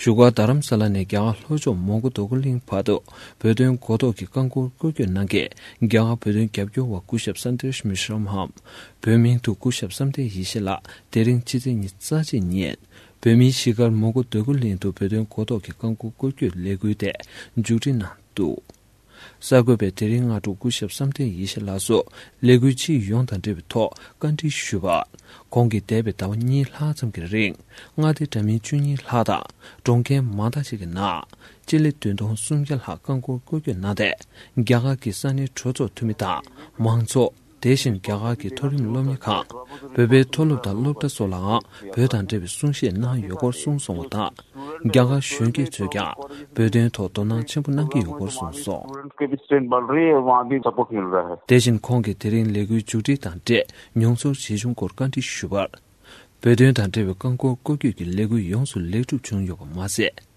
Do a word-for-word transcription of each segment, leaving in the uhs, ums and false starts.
བཞུགས་སྒར་རྡ་རམ་ས་ལ་ནས་རྒྱ་གར་ལྷོ་ཕྱོགས་མོན་གྷོ་རྡོ་སྐུ་གླིང་བར་དུ་བོད་དོན་གོ་རྟོགས་ཀྱི་རྐང་འཁོར་བསྐོར་སྐྱོད་གནང་མཁན་རྒྱ་གར་བོད་དོན་རྒྱབ་སྐྱོར་བ་སྐུ་ཞབས་སན་དེ་ཤི་མི་ཤི་རམ་འམ། བོད་མིང་དུ་སྐུ་ཞབས་བསམ་གཏན་ཡེ་ཤེས་ལགས་དེ་རིང་ཕྱི་ཚེས་ཉི་ཤུ་རྩ་གཅིག་ཉིན་བོད་མིའི་གཞིས་སྒར་མོན་གྷོ་རྡོ་སྐུ་གླིང་དུ་བོད་དོན་གོ་རྟོགས་ཀྱི་རྐང་འཁོར་བསྐོར་སྐྱོད་ལས་འགུལ་དེ་མཇུག་སྒྲིལ་གནང་འདུག་གསར་འགོད་པས་དེ་རིང་སྔ་དྲོ་སྐུ་ཞབས་བསམ་གཏན་ཡེ་ཤེས་ལགས་སུ་ལས་འགུལ་སྤྱི་ཡོངས་དང་འབྲེལ་བའི་ཐོག་བཀའ་འདྲི་ཞུས་པར། ཁོང་གིས་འདས་པའི་ཟླ་བ་གཉིས་ལྷག་ཙམ་གྱི་རིང་མངའ་སྡེ་འདྲ་མིན་བཅུ་གཉིས་ལྷག་དང་གྲོང་ཁྱེར་མང་དག་ཅིག་གི་ནང་སྤྱི་ལེ་བདུན་སྟོང་སུམ་བརྒྱ་ལྷག་རྐང་འཁོར་བསྐོར་སྐྱོད་གནང་སྟེ། རྒྱ་གར་གྱི་ས་གནས་གྲོས་ཚོགས་འཐུས་མི་དང་མང་ཚོགས། དེ་བཞིན་རྒྱ་གར་གྱི་མཐོ་རིམ་སློབ་གཉེར་ཁང་། བོད་པའི་མཐོ་སློབ་དང་སློབ་གྲྭ་སོགས་ལའང་བོད་དང་འབྲེལ་བའི་གསུང་བཤད་གནང་ཡོད་སྐོར་གསུངས་སོང་བ་དང་། རྒྱ་གར་གཞོན་སྐྱེས་ཚོས་ཀྱང་བོད་དོན་ཐོག་དོ་སྣང་ཆེན་པོ་གནང་གི་ཡོད་སྐོར་གསུངས་སོང་། स्टूडेंट्स के भी स्ट्रेंथ बढ़ रही है, वहाँ भी सपोर्ट मिल रहा है। དེ་བཞིན་ཁོང་གིས་དེ་རིང་ལས་འགུལ་མཇུག་སྒྲིལ་དང་འབྲེལ་མྱོང་ཚོར་ཇི་བྱུང་སྐོར་བཀའ་འདྲི་ཞུས་པར། བོད་དོན་དང་འབྲེལ་བའི་རྐང་འཁོར་བསྐོར་སྐྱོད་ཀྱི་ལས་འགུལ་ཡོངས་སུ་ལེགས་གྲུབ་བྱུང་ཡོད་པ་མ་ཟད།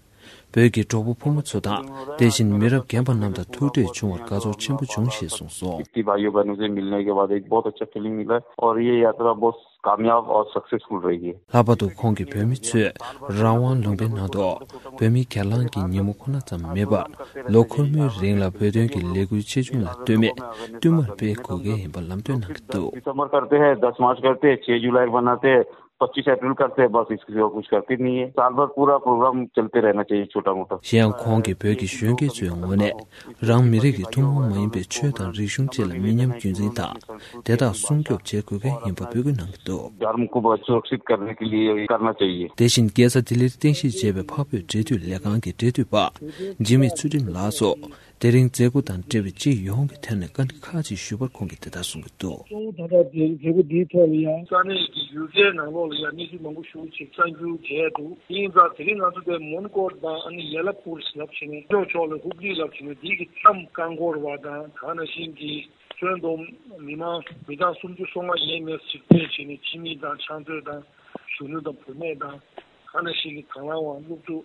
བོད་ཀྱི་གྲོགས་པོ་ཕོ་མོ་ཚོ་དང་དེ་བཞིན་མི་རབས་རྒན་པ་རྣམས་དང་ཐུག་འཕྲད་བྱུང་བར་དགའ་ཚོར་ཆེན་པོ་བྱུང་ཞེས་གསུངས་སོང་། इतनी भाइयों बहनों से मिलने के बाद एक बहुत अच्छा फीलिंग मिला है और ये यात्रा बहुत कामयाब और सक्सेसफुल रही है। ལྷག་པར་དུ་ཁོང་གིས་བོད་མི་ཚོས་རང་དབང་ལུང་པའི་ནང་དུ་བོད་མི་སྒེར་ལངས་ཀྱི་ཉིན་མོ་ཁོ་ན་ཙམ་མེད་པར་ལོ་འཁོར་མོའི་རིང་ལ་བོད་དོན་གྱི་ལས་འགུལ་ཆེ་ཆུང་ལ་ལྟོས་མེད་བསྟུད་མར་སྤེལ་དགོས་གལ་ཡིན་པ་ལམ་སྟོན་གནང་གི་འདུག། दिसंबर करते हैं, दस मार्च करते हैं, छह जुलाई मनाते हैं, पच्चीस अप्रैल करते हैं, बस इसके सिवा कुछ करते नहीं है। साल भर पूरा प्रोग्राम चलते रहना चाहिए, छोटा मोटा। གཞན་ཡང་ཁོང་གིས་བོད་ཀྱི་གཞོན་སྐྱེས་ཚོའི་ངོས་ནས་རང་མི་རིགས་ཀྱི་ཐུན་མོང་མ་ཡིན་པའི་ཆོས་དང་རིག་གཞུང་བཅས་ལ་མི་ཉམས་རྒྱུན་འཛིན་དང་དེ་དག་སྲུང་སྐྱོབ་བྱེད་དགོས་གལ་ཡིན་པ་འབོད་སྐུལ་གནང་གི་འདུག། धर्म को सुरक्षित करने के लिए करना चाहिए। དེ་བཞིན་རྒྱལ་ས་ལྡི་ལིར་རྟེན་གཞི་བྱས་པའི་འཕགས་བོད་འབྲེལ་མཐུད་ལས་ཁང་གི་འབྲེལ་མཐུད་པ་འཇིགས་མེད་ཚུལ་ཁྲིམས་ལགས་སུ། དེ་རིང་མཛད་སྒོ་དང་འབྲེལ་བའི་སྤྱི་ཡོངས་ཀྱི་ཐད་ནས་བཀའ་འདྲི་ཁག་ཅིག་ཞུས་པར་ཁོང་གིས་དེ་ལྟར་གསུངས་ཀྱི་འདུག། གཙོ་བོ་ད་ལྟ་དེ་མཛད་སྒོ་འདིའི་ཐོག་ལ་ཡང་ས་གནས་ཀྱི་ཡུལ་སྐད་ནང་ལོགས་ལ་ཡང་གནས་ཚུལ་མང་པོ་ཞིག་ཅིག་གསར་འགྱུར་བྱས་འདུག། ཡིན་ཙང་དེ་རིང་ང་ཚོ་དེ་མོན་གྷོ་དང་ཨ་ནི་ཡེ་ལ་པུར་ལབ་བྱས་ནས་ལྗོངས་ཕྱོགས་ལ་ཧུག་ལི་ལབ་བྱས་ནས་འདི་གི་མཚམས་རྐང་འཁོར་བ་དང་ད་ནང་བཞིན་གྱི་ཁྱོན་བསྡོམས་མི་མང་མི་གྲངས་སུམ་ཅུ་སོ་ལྔ་ཡས་མས་ཅིག་ཕེབས་བྱས་ནས་ཕྱི་མི་དང་ཕྱག་མཛོད་དང་གཞོན་ནུ་དང་བུད་མེད་དང་ད་ནང་བཞིན་གྱི་དང་བླངས་དབང་སློབ་ཕྲུག་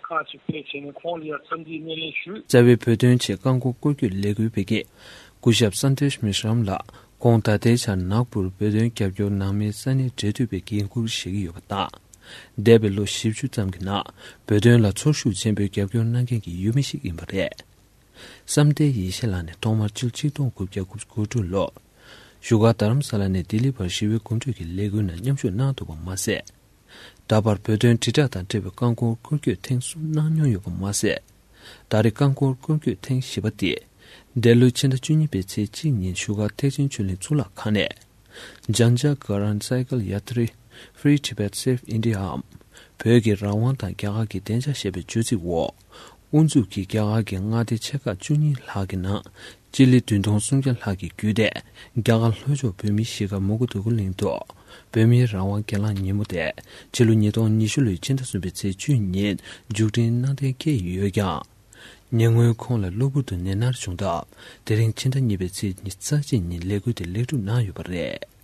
ཁག་ཅིག་ཕེབས་བྱས་ནས་ཁོང་ལ་ཡང་འཚམས་འདྲིའི་སྣེ་ལེན་ཞུས། རྩ་བའི་བོད་དོན་ཆེད་རྐང་འཁོར་བསྐོར་སྐྱོད་ལས་འགུལ་སྤེལ་མཁན་སྐུ་ཞབས་སན་དེ་ཤི་མི་ཤི་རམ་ལགས་ཁོང་ད་ལྟའི་ཆར་ནག་པུར་བོད་དོན་རྒྱབ་སྐྱོར་ནང་མིའི་ས་གནས་འབྲེལ་མཐུད་པའི་འགན་འཁུར་བཞེས་ཀྱི་ཡོད་པ་དང་། འདས་པའི་ལོ་བཞི་བཅུ་ཙམ་གྱི་ནང་བོད་དོན་ལ་ཚོར་ཤུགས་ཆེན་པོས་རྒྱབ་སྐྱོར་གནང་མཁན་གྱི་ཡུལ་མི་ཞིག་ཡིན་པ་རེད། བསམ་གཏན་ཡེ་ཤེས་ལགས་ནས་ཐོག་མར་ཕྱི་ལོ་ཆིག་སྟོང་དགུ་བརྒྱ་དགུ་བཅུ་གོ་དྲུག་ལོར་བཞུགས་སྒར་རྡ་རམ་ས་ལ་ནས་ལྡི་ལི་བར་ཞི་བའི་གོམ་བགྲོད་ཀྱི་ལས་འགུལ་ནང་མཉམ་ཞུགས་གནང་འདུག་པ་མ་ཟད། ད་བར་བོད་དོན་དྲིལ་བསྒྲགས་དང་འབྲེལ་བའི་རྐང་འཁོར་བསྐོར་སྐྱོད་ཐེངས་གསུམ་གནང་མྱོང་ཡོད་པ་མ་ཟད། ད་རེས་རྐང་འཁོར་བསྐོར་སྐྱོད་ཐེངས་བཞི་པ་དེ་འདི་ལོའི་ཕྱི་ཟླ་བཅུ་གཉིས་པའི་ཚེས་གཅིག་ཉིན་བཞུགས་སྒར་ཐེག་ཆེན་ཆོས་གླིང་གཙུག་ལག་ཁང་ནས། Jan Jagran Cycle Yatri, Free Tibet Save India འམ། བོད་ཀྱི་རང་དབང་དང་རྒྱ་གར་གྱི་བདེ་འཇགས་ཞེས་པའི་བརྗོད་ཚིག་འོག་དབུ་འཛུགས་ཀྱིས་རྒྱ་གར་གྱི་མངའ་སྡེ་ཆེ་ཁག་བཅུ་གཉིས་ལྷག་གི་ནང་སྤྱི་ལེ་བདུན་སྟོང་སུམ་བརྒྱ་ལྷག་གིས་བརྒྱུད་དེ་རྒྱ་གར་ལྷོ་ཕྱོགས་བོད་མིའི་གཞིས་སྒར་མོན་གྷོ་རྡོ་སྐུ་གླིང་དུ་བོད་མིའི་རང་དབང་སྒེར་ལངས་ཉིན་མོ་དེ་ཕྱི་ལོ་ཉིས་སྟོང་ཉི་ཤུ་ལོའི་ཕྱི་ཟླ་གསུམ་པའི་ཚེས་བཅུ་ཉིན་མཇུག་སྒྲིལ་གནང་གཏན་འཁེལ་ཡོད་ཀྱང་། ཉེ་སྔོན་ཁོང་ལ་གློ་བུར་དུ་ནད་མནར་བྱུང་སྟབས་དེ་རིང་ཕྱི་ཟླ་གཉིས་པའི་ཚེས་ཉི་ཤུ་རྩ་གཅིག་ཉིན་ལས་འགུལ་དེ་ལེགས་གྲུབ་གནང་ཡོད་པ་རེད།